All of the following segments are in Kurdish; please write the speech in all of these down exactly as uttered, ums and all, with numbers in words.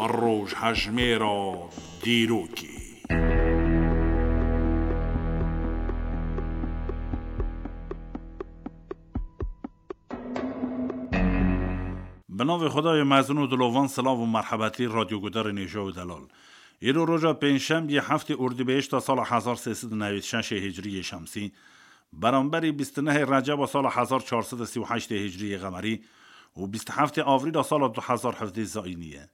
Rojhejmêra dîrokê. Bi navê Xwedayê mezin û dilovan, silav û merhebetî radyogudarên hêja û delal. Îro roja pêncşembiyê heftê Ordîbehişta sala hezar sê sed û newêd şeşê hicriyê şemsî, beramberî bîst û nehê Receba sala hezar çar sed û sî û heştê hicriyê qemerî û bîst û heftê Avrîla sala du hezar hevdeh zayînî ye.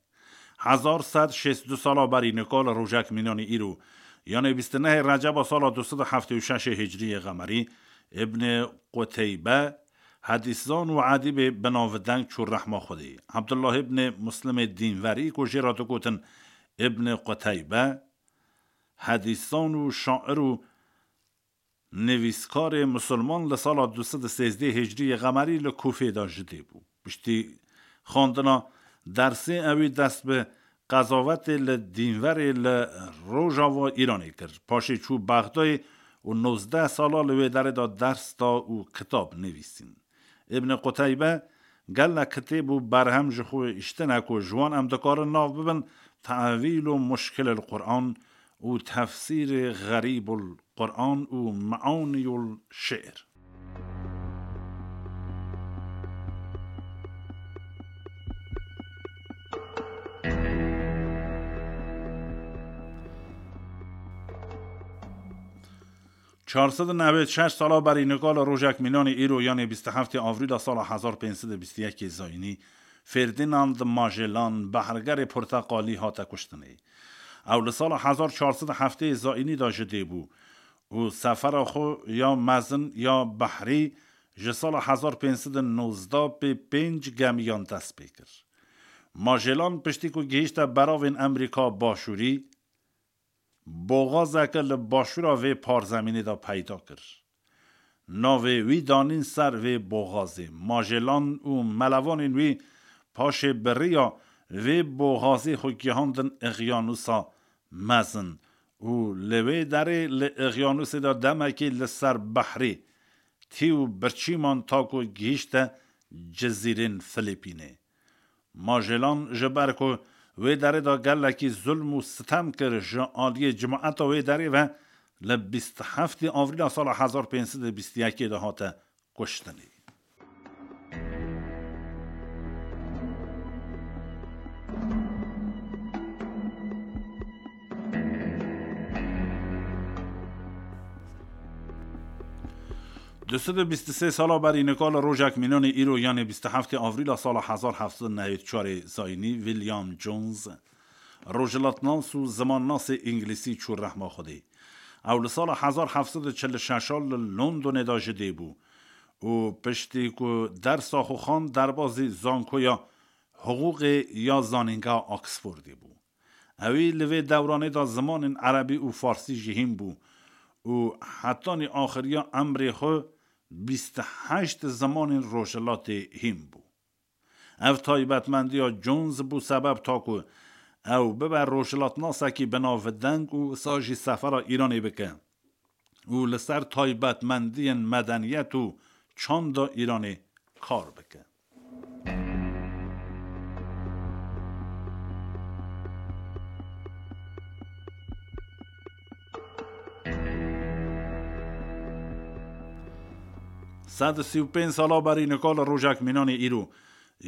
Hezar sed şêst û du sala berî nika li rojek mînanî îro, yanê bîst û nehê Receba sala du sed û heftê û şeşê hicriyê qemerî, Îbnê Quteybe, hedîszan û edîbê binavdeng çû rehma Xwedê. Ebdullah îbnê Muslimê dînverî ku jê re digotin Îbnê Quteybe, hedîszan û şair û nivîskarê misilman li sala du sed û sêzdeh hicriyê qemerî li Kûfê de ji dê bû. Piştî xwendina dersê ewî dest bi qezavetê li dînverê li rojava Îranê kir. Paşê çû Bexdayê û nozdeh sala li wê derê de ders da û kitab nivîsîn. Îbn Quteybe gelek kitêb û berhem ji xwe hiştine ku ji wan em dikarin nav bibin Tevîl û Muşkilil Quran û Tefsîrê Xerîbul Quran û Meaniyul Şi'r. Çar sed û newêd şeş sala berî nika li rojek mînanê îro, yanê bîst û heftê Avrîla sala hezar pênc sed û bîst û yekê zayînî, Ferdinand Magellan, behrgerê porteqalî, hate kuştinê. Ew li sala hezar çar sed û heftê zayînî de ji dê bû û sefera xwe ya mezin ya behrî ji sala hezar pênc sed û nozdeh pê pênc gemiyan dest pê kir. Magellan piştî ku gihîşte beravên Amerîka Başûrî, boxazeke li başûra vê parzemînê de peyda kir. Navê wî danîn ser vê boxazê. Magellan û melevanên wî paşê bi riya vê boxazê xwe gihandin Îqyanûsa Mezin û li wê derê li Îqyanûsê de demekê li ser behrê tî û birçî man ta ku gihîşte cizîrên Filîpînê. Magellan ji ber ku wê derê de gelekî zulm û sitem kir, ji aliyê cemaeta wê derê ve li bîst û heftê Avrîla sala hezar pênc sed û bîst û yekê de hate kuştinê. Du sed û bîst û sê sala berî nika li rojek mînanê îro, yanê bîst û heftê Avrîla sala hezar heft sed û newêd çarê zayînî, William Jones, rojhilatnas û zimannasê îngilîsî çû rehma Xwedê. Ew li sala hezar heft sed û çil û şeş li Londonê de ji dê bû û piştî ku dersa xwe xwend, derbazî zankoya hiqûqê ya zanîngeha Oxfordê bû. Ewî li vê dewranê de zimanên erebî û farsî jî hîn bû û hetanî axiriya emrê xwe bîst û heşt zimanên rojhilatê hîn bû. Ev taybetmendiya Jones bû sebeb ta ku ew bibe rojhilatnasekî binavdeng û wisa jî sefera Îranê bike û li ser taybetmendiyên medeniyet û çanda Îranê kar bike. Sed û sî û pênc sala berî nika li rojek mînanê îro,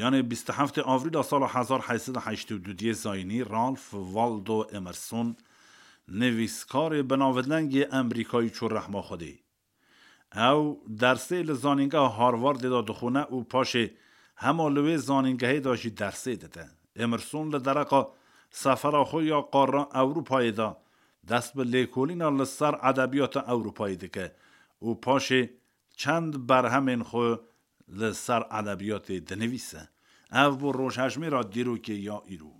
yanê bîst û heftê Avrîla sala hezar heyt sed û heştê û duyê zayînî, Ralph Waldo Emerson, nivîskarê binavdengê Amerîkayî çû rehma Xwedê. Ew dersê li zanîngeha Harvardê de dixwîne û paşê hema li wê zanîngehê de jî dersê dide. Emerson li dereqa sefera xwe ya qara Ewropayê de dest bi lêkolîna li ser edebiyata Ewropayê dike û paşê çend berhemên xwe li ser edebiyatê dinivîse. Ev bû rojhejmêra dîrokê ya îro.